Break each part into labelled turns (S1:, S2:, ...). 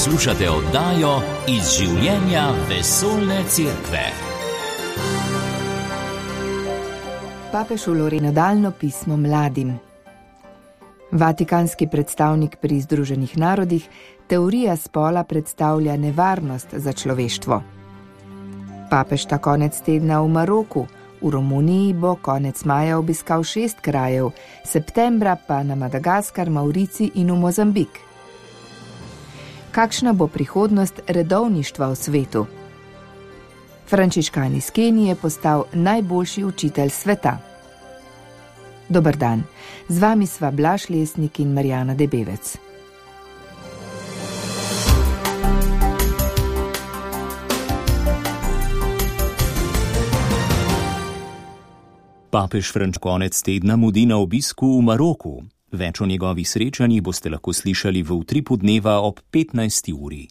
S1: Poslušate oddajo Iz življenja vesoljne cerkve.
S2: Papež vlori nadaljno pismo mladim. Vatikanski predstavnik pri Združenih narodih, teorija spola predstavlja nevarnost za človeštvo. Papež ta konec tedna v Maroku, v Romuniji bo konec maja obiskal 6 krajev, septembra pa na Madagaskar, Mauricij in v Mozambik. Kakšna bo prihodnost redovništva v svetu? Frančiškan iz Kenije je postal najboljši učitelj sveta. Dober dan, z vami sva Blaž Lesnik in Marjana Debevec.
S3: Papež Frančišek konec tedna mudi na obisku v Maroku. Več o njegovih srečanjih boste lahko slišali v utripu dneva ob 15. uri.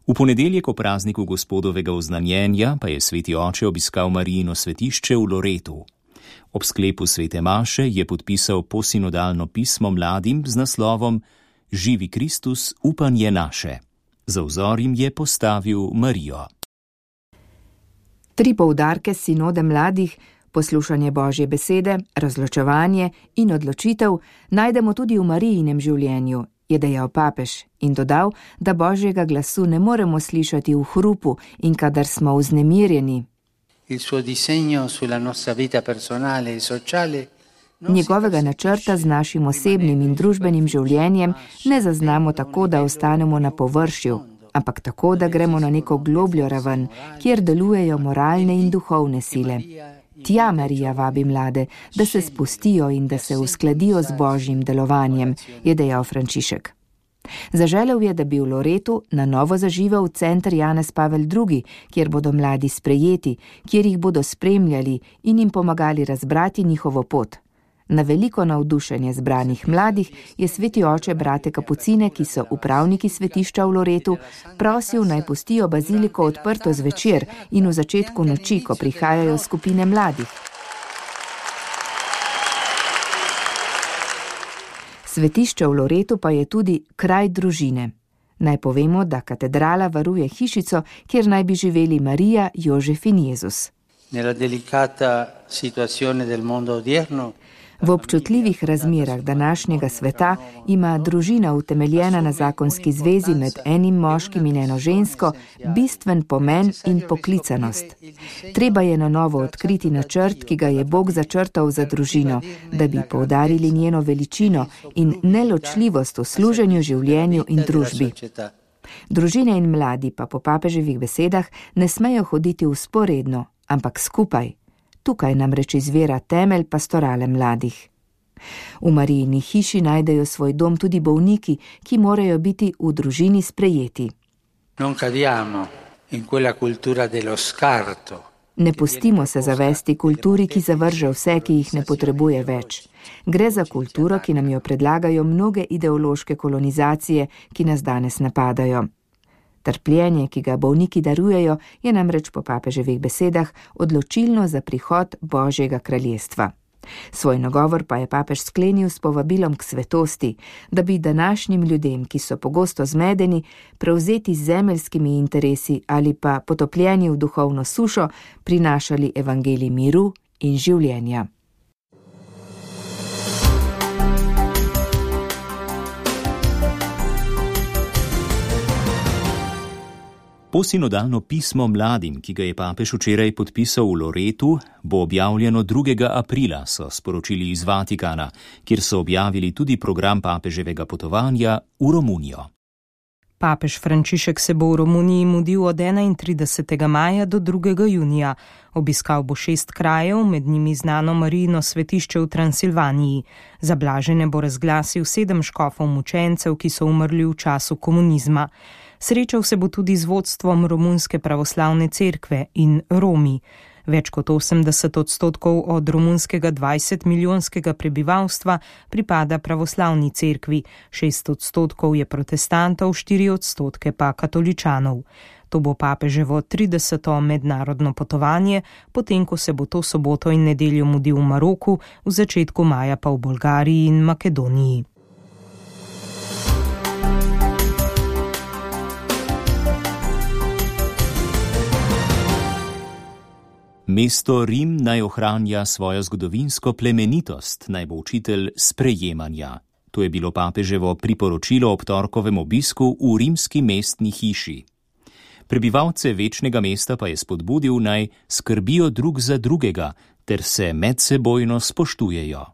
S3: V ponedeljek o prazniku Gospodovega oznanjenja pa je sveti oče obiskal Marijino svetišče v Loretu. Ob sklepu svete maše je podpisal posinodalno pismo mladim z naslovom Živi Kristus, upanje naše. Za vzor jim je postavil Marijo.
S2: 3 poudarke sinode mladih, poslušanje Božje besede, razločevanje in odločitev najdemo tudi v Marijinem življenju, je dejal papež in dodal, da Božjega glasu ne moremo slišati v hrupu in kadar smo vznemirjeni. Njegovega načrta z našim osebnim in družbenim življenjem ne zaznamo tako, da ostanemo na površju, ampak tako, da gremo na neko globljo raven, kjer delujejo moralne in duhovne sile. Tja Marija vabi mlade, da se spustijo in da se uskladijo z Božjim delovanjem, je dejal Frančišek. Zaželel je, da bi v Loretu na novo zaživel center Janez Pavel II, kjer bodo mladi sprejeti, kjer jih bodo spremljali in jim pomagali razbrati njihovo pot. Na veliko navdušenje zbranih mladih je sveti oče brate kapucine, ki so upravniki svetišča v Loretu, prosil naj pustijo baziliko odprto zvečer in v začetku noči, ko prihajajo skupine mladih. Svetišče v Loretu pa je tudi kraj družine. Naj povemo, da katedrala varuje hišico, kjer naj bi živeli Marija, Jožef in Jezus.
S4: Nella delicata situazione del mondo odierno,
S2: v občutljivih razmerah današnjega sveta ima družina utemeljena na zakonski zvezi med enim moškim in eno žensko bistven pomen in poklicanost. Treba je na novo odkriti načrt, ki ga je Bog začrtal za družino, da bi poudarili njeno veličino in neločljivost v služenju, življenju in družbi. Družine in mladi pa po papeževih besedah ne smejo hoditi vzporedno, ampak skupaj. Tukaj namreč izvira temelj pastorale mladih. V Marijini hiši najdejo svoj dom tudi bolniki, ki morajo biti v družini sprejeti. Ne pustimo se zavesti kulturi, ki zavrže vse, ki jih ne potrebuje več. Gre za kulturo, ki nam jo predlagajo mnoge ideološke kolonizacije, ki nas danes napadajo. Trpljenje, ki ga bolniki darujejo, je namreč po papeževih besedah odločilno za prihod Božjega kraljestva. Svoj nagovor pa je papež sklenil s povabilom k svetosti, da bi današnjim ljudem, ki so pogosto zmedeni, prevzeti z zemeljskimi interesi ali pa potopljeni v duhovno sušo, prinašali evangelij miru in življenja.
S3: Posinodalno pismo mladim, ki ga je papež včeraj podpisal v Loretu, bo objavljeno 2. aprila, so sporočili iz Vatikana, kjer so objavili tudi program papeževega potovanja v Romunijo.
S5: Papež Frančišek se bo v Romuniji mudil od 31. maja do 2. junija. Obiskal bo 6 krajev, med njimi znano Marijino svetišče v Transilvaniji. Za blažene bo razglasil 7 škofov mučencev, ki so umrli v času komunizma. Srečal se bo tudi z vodstvom Romunske pravoslavne cerkve in Romi. Več kot 80% od romunskega 20-milijonskega prebivalstva pripada pravoslavni cerkvi, 6% je protestantov, 4% pa katoličanov. To bo papeževo 30. mednarodno potovanje, potem ko se bo to soboto in nedeljo mudil v Maroku, v začetku maja pa v Bolgariji in Makedoniji.
S3: Mesto Rim naj ohranja svojo zgodovinsko plemenitost, naj bo učitelj sprejemanja. To je bilo papeževo priporočilo ob torkovem obisku v rimski mestni hiši. Prebivalce večnega mesta pa je spodbudil, naj skrbijo drug za drugega ter se medsebojno spoštujejo.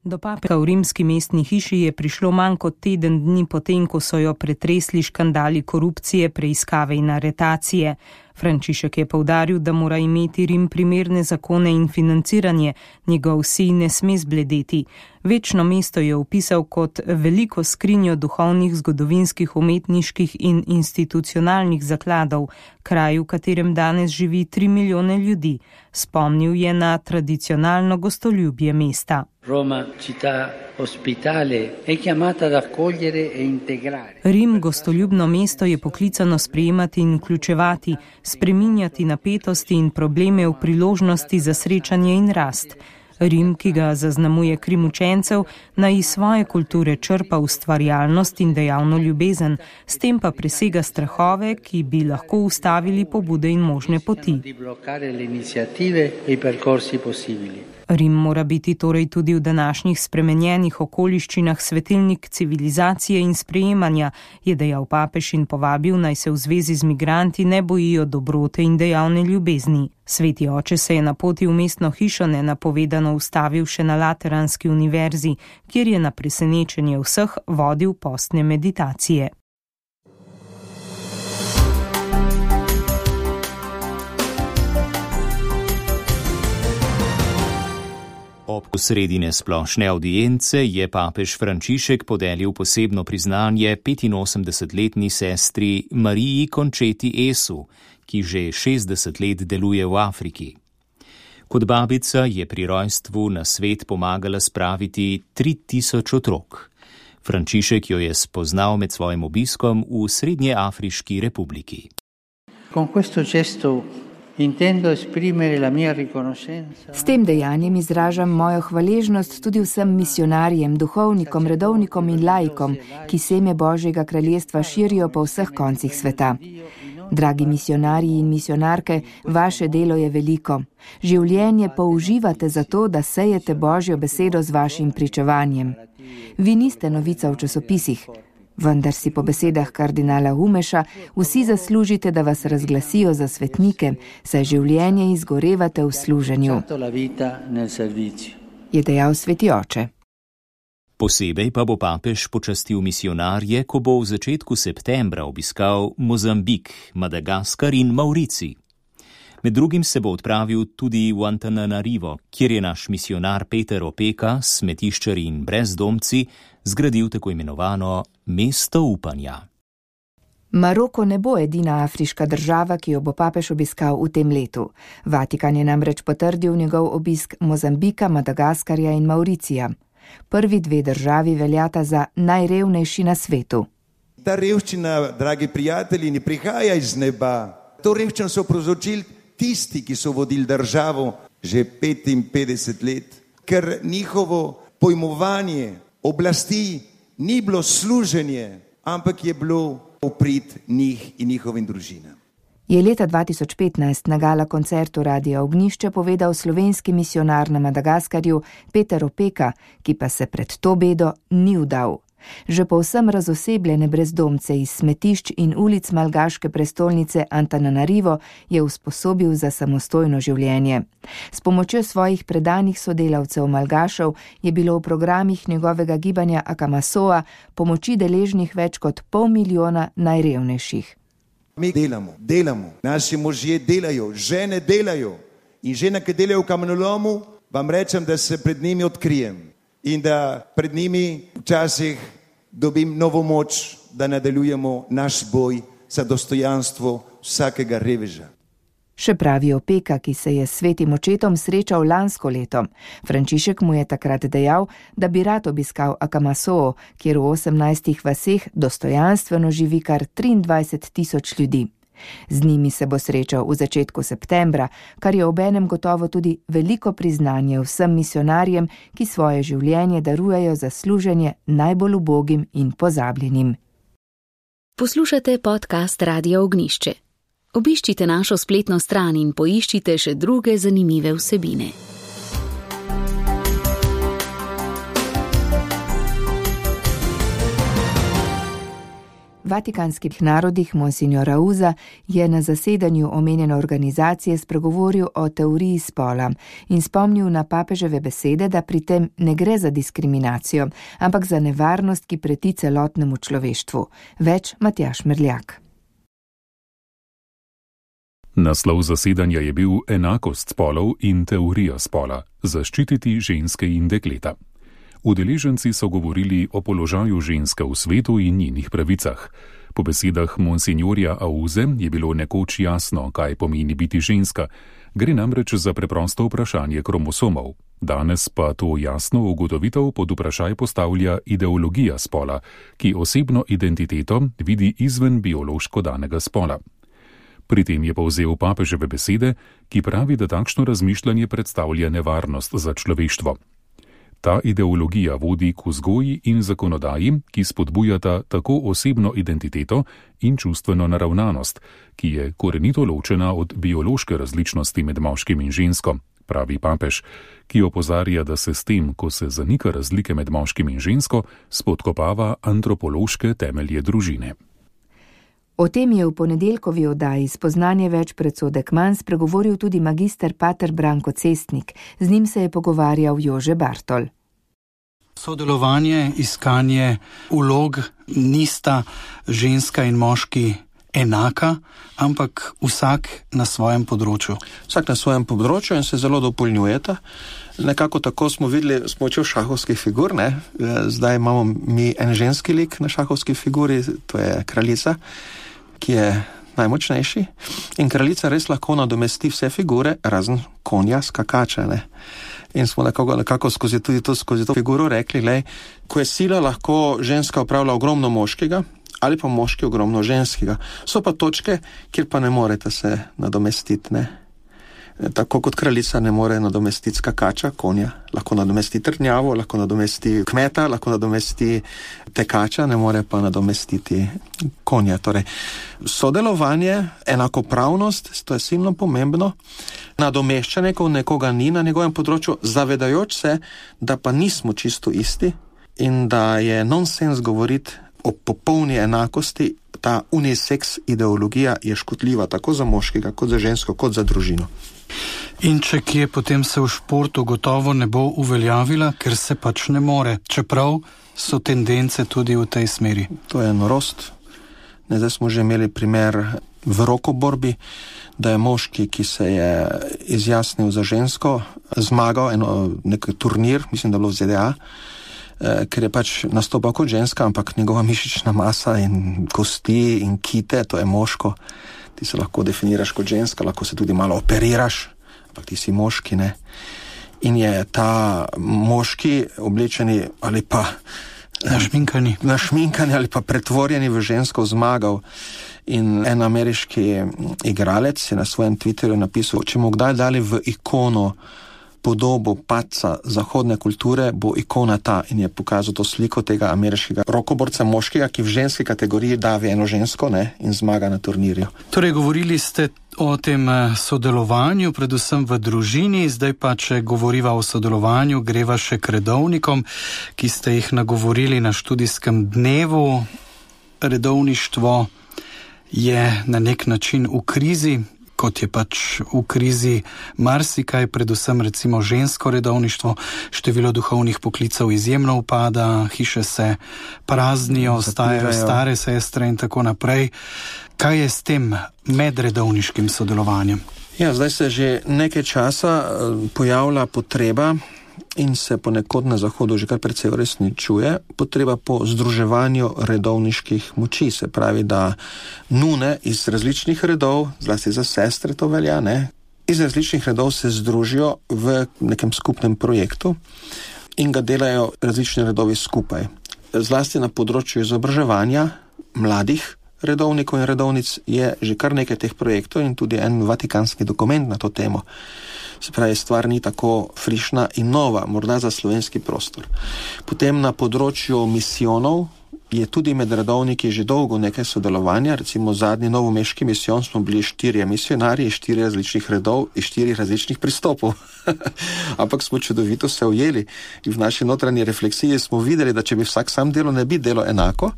S5: Do papeža v rimski mestni hiši je prišlo manj kot teden dni potem, ko so jo pretresli škandali korupcije, preiskave in aretacije. Frančišek je poudaril, da mora imeti Rim primerne zakone in financiranje, njegov sij ne sme zbledeti. Večno mesto je opisal kot veliko skrinjo duhovnih, zgodovinskih, umetniških in institucionalnih zakladov, kraj, v katerem danes živi 3 milijone ljudi. Spomnil je na tradicionalno gostoljubje mesta.
S4: Roma, città ospitale, è chiamata ad accogliere e integrare.
S5: Rim, gostoljubno mesto, je poklicano sprejemati in vključevati, spreminjati napetosti in probleme v priložnosti za srečanje in rast. Rim, ki ga zaznamuje krim učencev, naj iz svoje kulture črpa ustvarjalnost in dejavno ljubezen, s tem pa presega strahove, ki bi lahko ustavili pobude in možne poti. Rim mora biti torej tudi v današnjih spremenjenih okoliščinah svetilnik civilizacije in sprejemanja, je dejal papež in povabil, naj se v zvezi z migranti ne bojijo dobrote in dejavne ljubezni. Sveti oče se je na poti v mestno hišo nenapovedano ustavil še na Lateranski univerzi, kjer je na presenečenje vseh vodil postne meditacije.
S3: Ob sredine splošne audience je papež Frančišek podelil posebno priznanje 85-letni sestri Mariji Cončeti Esu, ki že 60 let deluje v Afriki. Kot babica je pri rojstvu na svet pomagala spraviti 3000 otrok. Frančišek jo je spoznal med svojim obiskom v Srednjeafriški republiki.
S2: S tem dejanjem izražam mojo hvaležnost tudi vsem misionarjem, duhovnikom, redovnikom in laikom, ki seme Božjega kraljestva širijo po vseh koncih sveta. Dragi misionarji in misionarke, vaše delo je veliko. Življenje použivate za to, da sejete Božjo besedo z vašim pričevanjem. Vi niste novica v časopisih, vendar si po besedah kardinala Umeša vsi zaslužite, da vas razglasijo za svetnike, saj življenje izgorevate v služenju, je dejal sveti oče.
S3: Posebej pa bo papež počastil misionarje, ko bo v začetku septembra obiskal Mozambik, Madagaskar in Maurici. Med drugim se bo odpravil tudi v Antananarivo, kjer je naš misionar Peter Opeka s smetiščarji in brezdomci zgradil tako imenovano mesto upanja.
S2: Maroko ne bo edina afriška država, ki jo bo papež obiskal v tem letu. Vatikan je namreč potrdil njegov obisk Mozambika, Madagaskarja in Mauricija. Prvi 2 državi veljata za najrevnejši na svetu.
S6: Ta revščina, dragi prijatelji, ne prihaja iz neba. To revščino so povzročili tisti, ki so vodili državo že 55 let, ker njihovo pojmovanje oblasti ni bilo služenje, ampak je bilo v prid njih in njihovim družinam.
S2: Je leta 2015 na gala koncertu Radia Ognjišče povedal slovenski misionar na Madagaskarju Peter Opeka, ki pa se pred to bedo ni vdal. Že povsem razosebljene brezdomce iz smetišč in ulic malgaške prestolnice Antananarivo je usposobil za samostojno življenje. S pomočjo svojih predanih sodelavcev malgašev je bilo v programih njegovega gibanja Akamasoa pomoči deležnih več kot 500 000 najrevnejših.
S6: Mi delamo, naši možje delajo, žene delajo in žene, ki delajo v kamenolomu, vam rečem, da se pred njimi odkrijem in da pred njimi včasih dobim novo moč, da nadaljujemo naš boj za dostojanstvo vsakega reveža.
S2: Še pravi Opeka, ki se je s svetim očetom srečal lansko leto. Frančišek mu je takrat dejal, da bi rad obiskal Akamasoo, kjer v 18 vaseh dostojanstveno živi kar 23 000 ljudi. Z njimi se bo srečal v začetku septembra, kar je obenem gotovo tudi veliko priznanje vsem misionarjem, ki svoje življenje darujejo za služenje najbolj ubogim in pozabljenim.
S7: Poslušate podcast Radia Ognjišče. Obiščite našo spletno stran in poiščite še druge zanimive vsebine.
S2: V Vatikanskih narodih Monsignor Auza je na zasedanju omenjene organizacije spregovoril o teoriji spola in spomnil na papeževe besede, da pri tem ne gre za diskriminacijo, ampak za nevarnost, ki preti celotnemu človeštvu. Več Matjaž Merljak.
S8: Naslov zasedanja je bil Enakost spolov in teorija spola – zaščititi ženske in dekleta. Udeleženci so govorili o položaju ženske v svetu in njenih pravicah. Po besedah monsignorja Auze je bilo nekoč jasno, kaj pomeni biti ženska. Gre namreč za preprosto vprašanje kromosomov. Danes pa to jasno ugotovitev pod vprašaj postavlja ideologija spola, ki osebno identiteto vidi izven biološko danega spola. Pri tem je povzel papeževe besede, ki pravi, da takšno razmišljanje predstavlja nevarnost za človeštvo. Ta ideologija vodi k vzgoji in zakonodaji, ki spodbujata tako osebno identiteto in čustveno naravnanost, ki je korenito ločena od biološke različnosti med moškim in žensko, pravi papež, ki opozarja, da se s tem, ko se zanika razlike med moškim in žensko, spodkopava antropološke temelje družine.
S2: O tem je v ponedeljkovi oddaji Spoznanje več predsodek manj spregovoril tudi magister pater Branko Cestnik. Z njim se je pogovarjal Jože Bartol.
S9: Sodelovanje, iskanje vlog nista ženska in moški enaka, ampak vsak na svojem področju.
S10: Vsak na svojem področju in se zelo dopolnjujeta. Nekako tako smo videli s pomočjo šahovskih figur, ne? Zdaj imamo mi en ženski lik na šahovski figuri, to je kraljica, ki je najmočnejši, in kraljica res lahko nadomesti vse figure, razen konja, skakača, ne. In smo nekako skozi to figuro rekli, glej, ko je sila, lahko ženska opravlja ogromno moškega, ali pa moški ogromno ženskega. So pa točke, kjer pa ne morete se nadomestiti, ne. Tako kot kraljica ne more nadomestiti skakača, konja, lahko nadomesti trdnjavo, lahko nadomesti kmeta, lahko nadomesti tekača, ne more pa nadomestiti konja. Torej, sodelovanje, enakopravnost, to je silno pomembno, nadomeščanje, ko nekoga ni na njegovem področju, zavedajoč se, da pa nismo čisto isti in da je nonsens govoriti o popolni enakosti. Ta unisex ideologija je škodljiva tako za moškega, kot za žensko, kot za družino.
S9: In če kje, potem se v športu gotovo ne bo uveljavila, ker se pač ne more, čeprav so tendence tudi v tej smeri.
S10: To je norost. Zdaj smo že imeli primer v rokoborbi, da je moški, ki se je izjasnil za žensko, zmagal nek turnir, mislim, da bilo v ZDA, ker je pač nastopal kot ženska, ampak njegova mišična masa in kosti in kite, to je moško. Ti se lahko definiraš kot ženska, lahko se tudi malo operiraš, ampak ti si moški, ne. In je ta moški oblečeni ali pa našminkani ali pa pretvorjeni v žensko zmagal. In en ameriški igralec je na svojem Twitterju napisal, če mu kdaj dali v ikono podobo padca zahodne kulture, bo ikona ta, in je pokazal to sliko tega ameriškega rokoborca moškega, ki v ženski kategoriji davi eno žensko, ne, in zmaga na turnirju.
S9: Torej, govorili ste o tem sodelovanju, predvsem v družini, zdaj pa, če govoriva o sodelovanju, greva še k redovnikom, ki ste jih nagovorili na študijskem dnevu. Redovništvo je na nek način v krizi, kot je pač v krizi marsikaj, predvsem recimo žensko redovništvo, število duhovnih poklicev izjemno upada, hiše se praznijo, ostajajo stare sestre in tako naprej. Kaj je s tem medredovniškim sodelovanjem?
S10: Ja, zdaj se že nekaj časa pojavlja potreba in se ponekod na Zahodu že kar precej uresničuje, potreba po združevanju redovniških moči, se pravi, da nune iz različnih redov, zlasti za sestre to velja, ne, iz različnih redov se združijo v nekem skupnem projektu in ga delajo različni redovi skupaj. Zlasti na področju izobraževanja mladih redovnikov in redovnic je že kar nekaj teh projektov in tudi en vatikanski dokument na to temo. Se pravi, stvar ni tako frišna in nova, morda za slovenski prostor. Potem na področju misijonov je tudi med redovniki že dolgo nekaj sodelovanja, recimo zadnji novomeški misijon smo bili 4 misionarji, 4 različnih redov in 4 različnih pristopov. Ampak smo čudovito se ujeli in v naši notranji refleksiji smo videli, da če bi vsak sam delo, ne bi delo enako,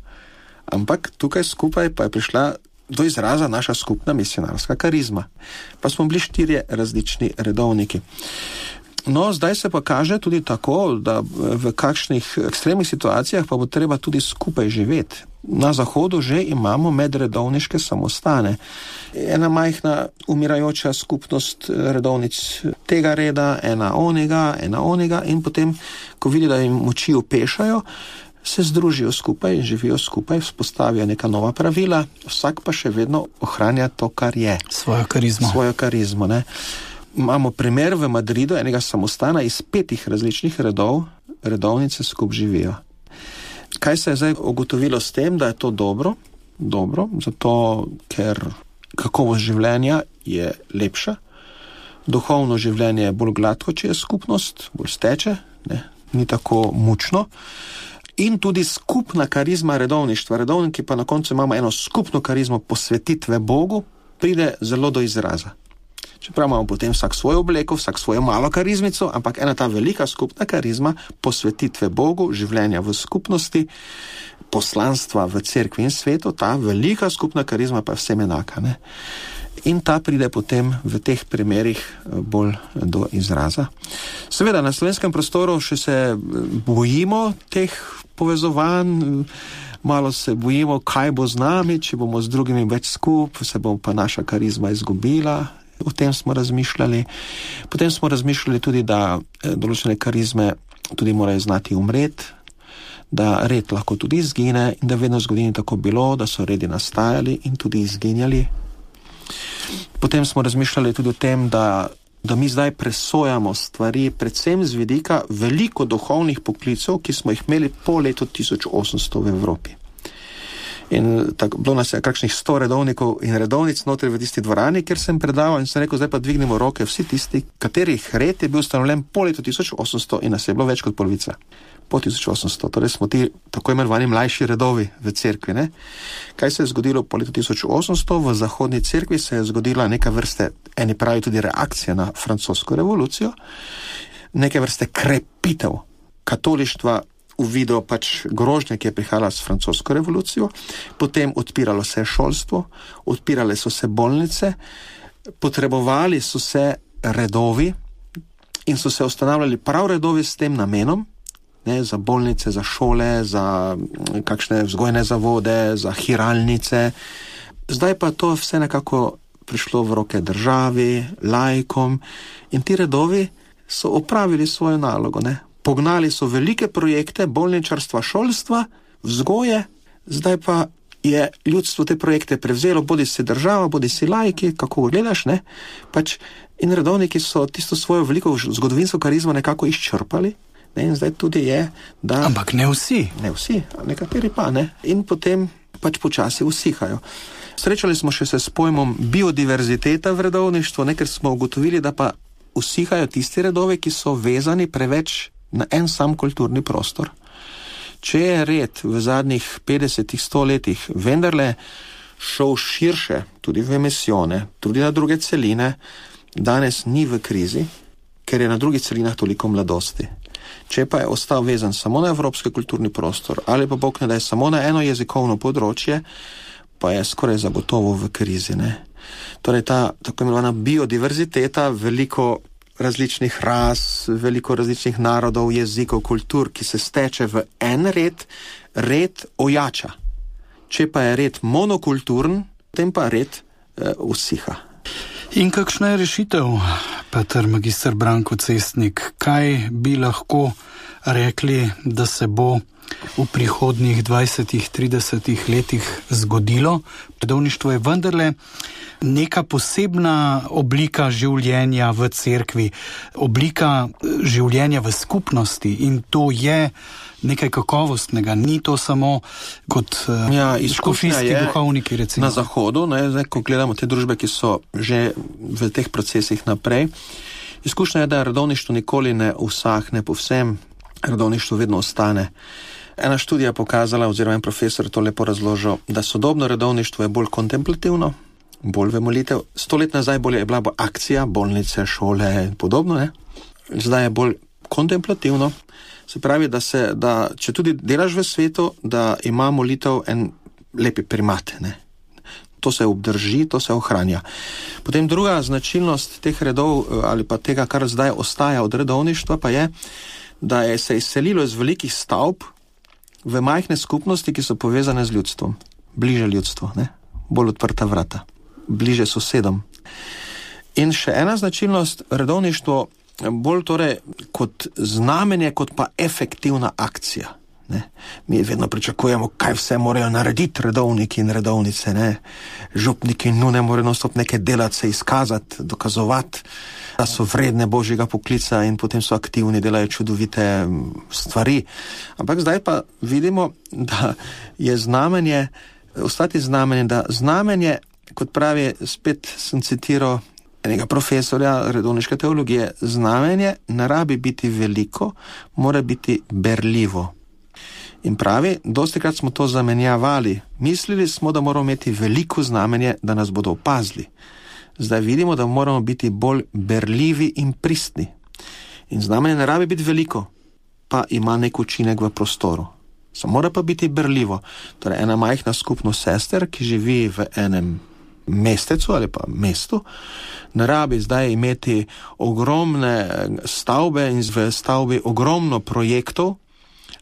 S10: ampak tukaj skupaj pa je prišla do izraza naša skupna misionarska karizma. Pa smo bili 4 različni redovniki. No, zdaj se pa kaže tudi tako, da v kakšnih ekstremnih situacijah pa bo treba tudi skupaj živeti. Na Zahodu že imamo medredovniške samostane. Ena majhna umirajoča skupnost redovnic tega reda, ena onega in potem, ko vidi, da jim moči upešajo, se združijo skupaj in živijo skupaj, vzpostavijo neka nova pravila, vsak pa še vedno ohranja to, kar je.
S9: Svojo karizmo,
S10: ne. Imamo primer v Madridu enega samostana iz 5 različnih redov, redovnice skupaj živijo. Kaj se je zdaj ugotovilo s tem, da je to dobro? Dobro, zato ker kakovost življenja je lepša, duhovno življenje je bolj gladko, če je skupnost, bolj steče, ne, ni tako mučno. In tudi skupna karizma redovništva. Redovniki pa na koncu imamo eno skupno karizmo posvetitve Bogu, pride zelo do izraza. Čeprav imamo potem vsak svojo obleko, vsak svojo malo karizmico, ampak ena ta velika skupna karizma posvetitve Bogu, življenja v skupnosti, poslanstva v cerkvi in svetu, ta velika skupna karizma pa je vsem enaka, ne? In ta pride potem v teh primerih bolj do izraza. Seveda, na slovenskem prostoru še se bojimo teh povezovanj, malo se bojimo, kaj bo z nami, če bomo z drugimi več skup, se bo pa naša karizma izgubila. O tem smo razmišljali. Potem smo razmišljali tudi, da določene karizme tudi morajo znati umreti, da red lahko tudi izgine in da vedno v zgodovini tako bilo, da so redi nastajali in tudi izginjali. Potem smo razmišljali tudi o tem, da mi zdaj presojamo stvari, predvsem z vidika veliko duhovnih poklicev, ki smo jih imeli po letu 1800 v Evropi. In tako, bilo nas je kakšnih 100 redovnikov in redovnic notri v tisti dvorani, kjer sem predaval in sem rekel, zdaj pa dvignemo roke vsi tisti, katerih red je bil ustanovljen po letu 1800 in nas je bilo več kot polovica. Po 1800, torej smo ti tako imenovani mlajši redovi v cerkvi, ne? Kaj se je zgodilo po letu 1800? V zahodni cerkvi se je zgodila neka vrste, eni pravi tudi reakcija na francosko revolucijo, neke vrste krepitev katolištva v vidu pač grožnje, ki je prihajala s francosko revolucijo, potem odpiralo se je šolstvo, odpirale so se bolnice, potrebovali so se redovi in so se ustanavljali prav redovi s tem namenom, ne, za bolnice, za šole, za kakšne vzgojne zavode, za hiralnice. Zdaj pa to vse nekako prišlo v roke državi, laikom in ti redovi so opravili svojo nalogo, ne. Pognali so velike projekte bolničarstva, šolstva, vzgoje, zdaj pa je ljudstvo te projekte prevzelo, bodi si država, bodi si laiki, kako gledaš, ne? Pač in redovniki so tisto svojo veliko zgodovinsko karizmo nekako izčrpali, ne? In zdaj tudi je, da...
S9: Ampak ne vsi.
S10: Ne vsi, nekateri pa, ne? In potem pač počasi usihajo. Srečali smo še se s pojmom biodiverziteta v redovništvu, ne? Ker smo ugotovili, da pa usihajo tisti redovi, ki so vezani preveč na en sam kulturni prostor. Če je red v zadnjih 50-100 letih vendarle šel širše, tudi v misijone, tudi na druge celine, danes ni v krizi, ker je na drugih celinah toliko mladosti. Če pa je ostal vezan samo na evropski kulturni prostor, ali pa Bog ne da je samo na eno jezikovno področje, pa je skoraj zagotovo v krizi, ne? Torej ta tako imenovana biodiverziteta, veliko različnih ras, veliko različnih narodov, jezikov, kultur, ki se steče v en red ojača. Če pa je red monokulturen, potem pa red usiha.
S9: In kakšna je rešitev, Peter magister Branko Cestnik? Kaj bi lahko rekli, da se bo v prihodnjih 20-30 letih zgodilo? Redovništvo je vendarle neka posebna oblika življenja v cerkvi, oblika življenja v skupnosti in to je nekaj kakovostnega, ni to samo kot škofijski duhovniki, recimo.
S10: Na Zahodu, ne, zdaj, ko gledamo te družbe, ki so že v teh procesih naprej, izkušnja je, da redovništvo nikoli ne usahne povsem, redovništvo vedno ostane. Ena študija je pokazala, oziroma en profesor to lepo razložil, da sodobno redovništvo je bolj kontemplativno, bolj v molitev. 100 let nazaj je bila bolj akcija, bolnice, šole in podobno, ne? Zdaj je bolj kontemplativno. Se pravi, da če tudi delaš v svetu, da ima molitev en lepi primat, ne? To se obdrži, to se ohranja. Potem druga značilnost teh redov ali pa tega, kar zdaj ostaja od redovništva, pa je, da je se izselilo iz velikih stavb v majhne skupnosti, ki so povezane z ljudstvom. Bliže ljudstvu, ne? Bolj odprta vrata. Bliže sosedom. In še ena značilnost, redovništvo bolj torej kot znamenje, kot pa efektivna akcija. Ne? Mi vedno pričakujemo, kaj vse morajo narediti redovniki in redovnice. Ne? Župniki nujno morajo nonstop nekaj delati, se izkazati, dokazovati, da so vredne božjega poklica in potem so aktivni, delajo čudovite stvari. Ampak zdaj pa vidimo, da je znamenje, ostati znamenje, da znamenje, kot pravi, spet sem citiral enega profesorja redovniške teologije, znamenje ne rabi biti veliko, mora biti berljivo. In pravi, dostikrat smo to zamenjavali. Mislili smo, da moramo imeti veliko znamenje, da nas bodo opazili. Zdaj vidimo, da moramo biti bolj berljivi in pristni. In znamenje ne rabi biti veliko, pa ima nek učinek v prostoru. Samo mora pa biti berljivo. Torej, ena majhna skupnost sester, ki živi v enem mestecu ali pa mestu, ne rabi zdaj imeti ogromne stavbe in v stavbi ogromno projektov,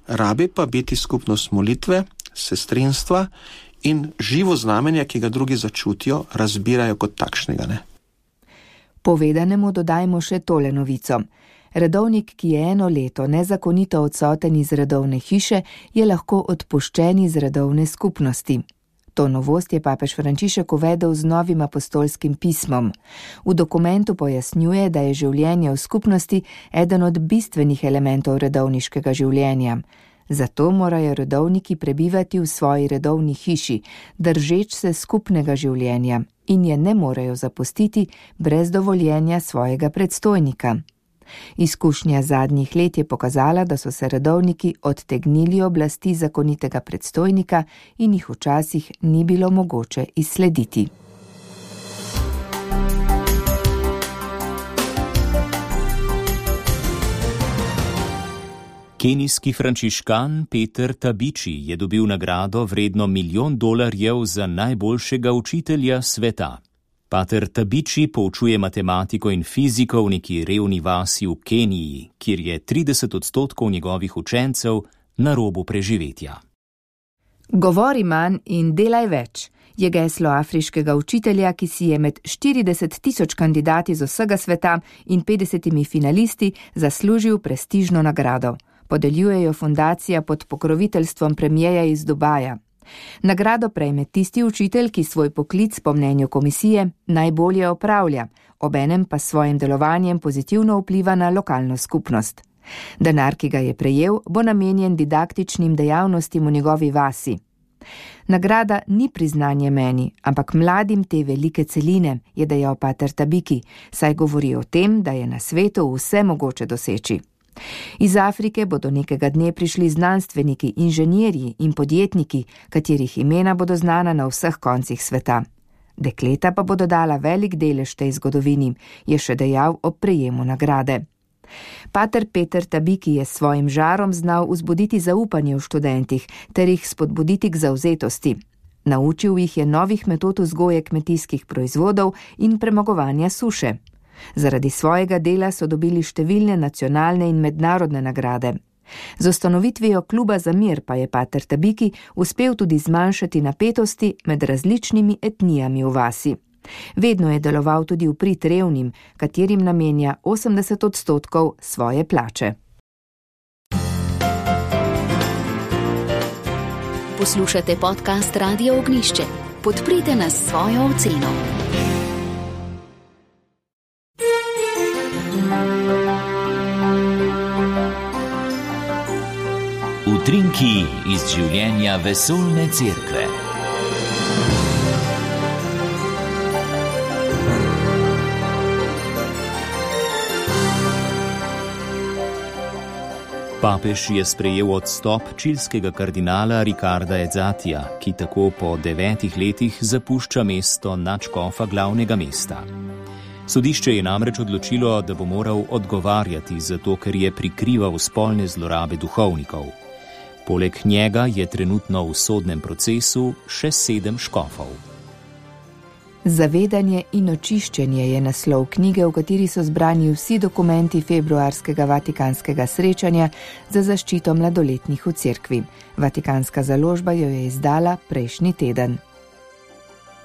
S10: rabi pa biti skupnost molitve, sestrinstva in živo znamenje, ki ga drugi začutijo, razbirajo kot takšnega. Ne?
S2: Povedanemu dodajmo še tole novico. Redovnik, ki je 1 leto nezakonito odsoten iz redovne hiše, je lahko odpuščen iz redovne skupnosti. To novost je papež Frančišek uvedel z novim apostolskim pismom. V dokumentu pojasnjuje, da je življenje v skupnosti eden od bistvenih elementov redovniškega življenja. Zato morajo redovniki prebivati v svoji redovni hiši, držeč se skupnega življenja in je ne morejo zapustiti brez dovoljenja svojega predstojnika. Izkušnja zadnjih let je pokazala, da so se redovniki odtegnili oblasti zakonitega predstojnika in jih včasih ni bilo mogoče izslediti.
S3: Kenijski frančiškan Peter Tabiči je dobil nagrado vredno $1 milijon za najboljšega učitelja sveta. Pater Tabiči poučuje matematiko in fiziko v neki revni vasi v Keniji, kjer je 30% njegovih učencev na robu preživetja.
S2: Govori manj in delaj več je geslo afriškega učitelja, ki si je med 40,000 kandidati z vsega sveta in 50 finalisti zaslužil prestižno nagrado. Podeljujejo fundacija pod pokroviteljstvom premierja iz Dubaja. Nagrado prejme tisti učitelj, ki svoj poklic po mnenju komisije najbolje opravlja, obenem pa s svojim delovanjem pozitivno vpliva na lokalno skupnost. Denar, ki ga je prejel, bo namenjen didaktičnim dejavnostim v njegovi vasi. Nagrada ni priznanje meni, ampak mladim te velike celine, je dejal pater Tabiki, saj govori o tem, da je na svetu vse mogoče doseči. Iz Afrike bodo nekega dne prišli znanstveniki, inženirji in podjetniki, katerih imena bodo znana na vseh koncih sveta. Dekleta pa bodo dala velik delež tej zgodovini, je še dejal ob prejemu nagrade. Pater Peter Tabiki je s svojim žarom znal vzbuditi zaupanje v študentih ter jih spodbuditi k zavzetosti. Naučil jih je novih metod vzgoje kmetijskih proizvodov in premagovanja suše. Zaradi svojega dela so dobili številne nacionalne in mednarodne nagrade. Z ustanovitvijo kluba za mir pa je pater Tabiki uspel tudi zmanjšati napetosti med različnimi etnijami v vasi. Vedno je deloval tudi v prid revnim, katerim namenja 80% svoje plače.
S7: Poslušate podcast Radio Ognišče. Podprite nas s svojo oceno.
S1: Utrinki iz življenja vesoljne cerkve.
S3: Papež je sprejel odstop čilskega kardinala Ricarda Ezzatija, ki tako po 9 letih zapušča mesto nadškofa glavnega mesta. Sodišče je namreč odločilo, da bo moral odgovarjati zato, ker je prikrival spolne zlorabe duhovnikov. Poleg njega je trenutno v sodnem procesu še 7 škofov.
S2: Zavedanje in očiščenje je naslov knjige, v kateri so zbrani vsi dokumenti februarskega vatikanskega srečanja za zaščito mladoletnih v cerkvi. Vatikanska založba jo je izdala prejšnji teden.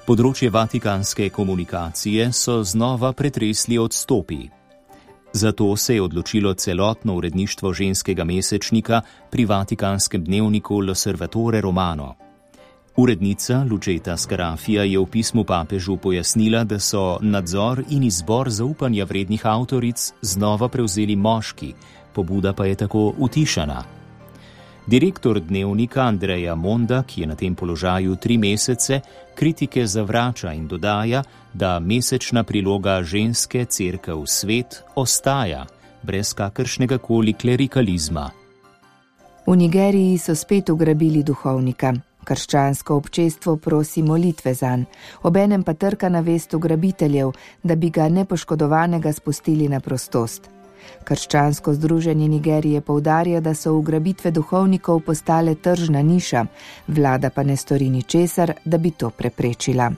S3: Področje vatikanske komunikacije so znova pretresli odstopi. Zato se je odločilo celotno uredništvo ženskega mesečnika pri vatikanskem dnevniku L'Osservatore Romano. Urednica Lucetta Scarafia je v pismu papežu pojasnila, da so nadzor in izbor zaupanja vrednih avtoric znova prevzeli moški, pobuda pa je tako utišana. Direktor dnevnika Andrea Monda, ki je na tem položaju 3 mesece, kritike zavrača in dodaja, da mesečna priloga Ženske cerkev svet ostaja, brez kakršnega koli klerikalizma.
S2: V Nigeriji so spet ugrabili duhovnika. Krščansko občestvo prosi molitve zanj, obenem pa trka na vest ugrabiteljev, da bi ga nepoškodovanega spustili na prostost. Krščansko združenje Nigerije poudarja, da so ugrabitve duhovnikov postale tržna niša, vlada pa ne stori ničesar, da bi to preprečila.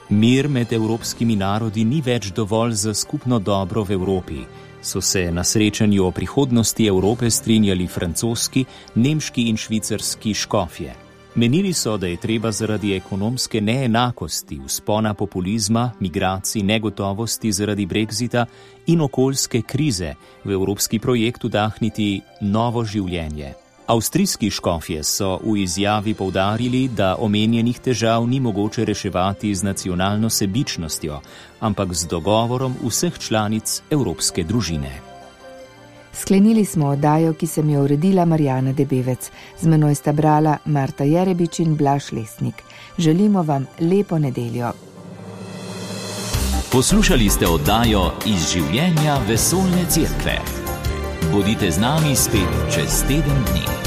S3: Mir med evropskimi narodi ni več dovolj za skupno dobro v Evropi. So se na srečanju o prihodnosti Evrope strinjali francoski, nemški in švicarski škofje. Menili so, da je treba zaradi ekonomske neenakosti, vzpona populizma, migracij, negotovosti zaradi brexita in okoljske krize v evropski projekt vdahniti novo življenje. Avstrijski škofje so v izjavi poudarili, da omenjenih težav ni mogoče reševati z nacionalno sebičnostjo, ampak z dogovorom vseh članic evropske družine.
S2: Sklenili smo oddajo, ki sem jo uredila Marjana Debevec. Z menoj sta brala Marta Jerebič in Blaž Lesnik. Želimo vam lepo nedeljo.
S1: Poslušali ste oddajo Iz življenja vesoljne cerkve. Bodite z nami spet čez teden dni.